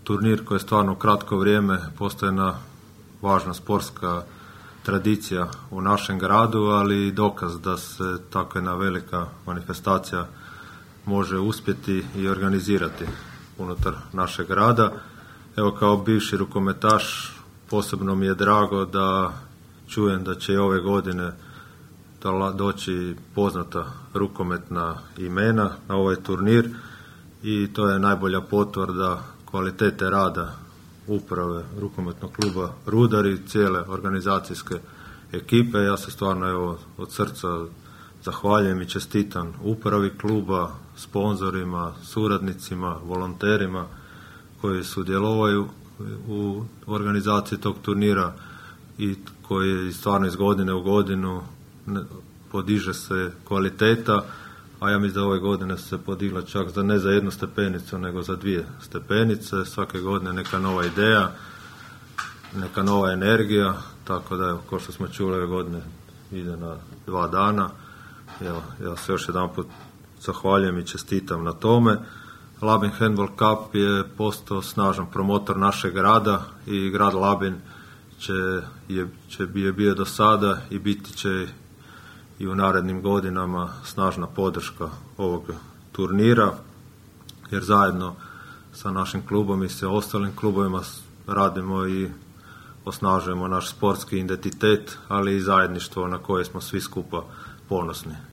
turnir koji je stvarno u kratko vrijeme postaje jedna važna sportska tradicija u našem gradu, ali i dokaz da se takva jedna velika manifestacija može uspjeti i organizirati unutar našeg grada. Evo, kao bivši rukometaš posebno mi je drago da čujem da će i ove godine doći poznata rukometna imena na ovaj turnir i to je najbolja potvrda kvalitete rada uprave rukometnog kluba Rudar i cijele organizacijske ekipe. Ja se stvarno od srca zahvaljujem i čestitam upravi kluba, sponzorima, suradnicima, volonterima koji sudjeluju u organizaciji tog turnira i koji stvarno iz godine u godinu podiže se kvaliteta, a ja mislim da ove godine se podigla čak ne za 1 stepenicu, nego za 2 stepenice. Svake godine neka nova ideja, neka nova energija, tako da evo, kao što smo čuli, ove godine ide na 2 dana. Evo, ja se još jedan put zahvaljujem i čestitam na tome. Labin Handball Cup je postao snažan promotor našeg grada i grad Labin je bio do sada i biti će i u narednim godinama snažna podrška ovog turnira, jer zajedno sa našim klubom i sa ostalim klubovima radimo i osnažujemo naš sportski identitet, ali i zajedništvo na koje smo svi skupa ponosni.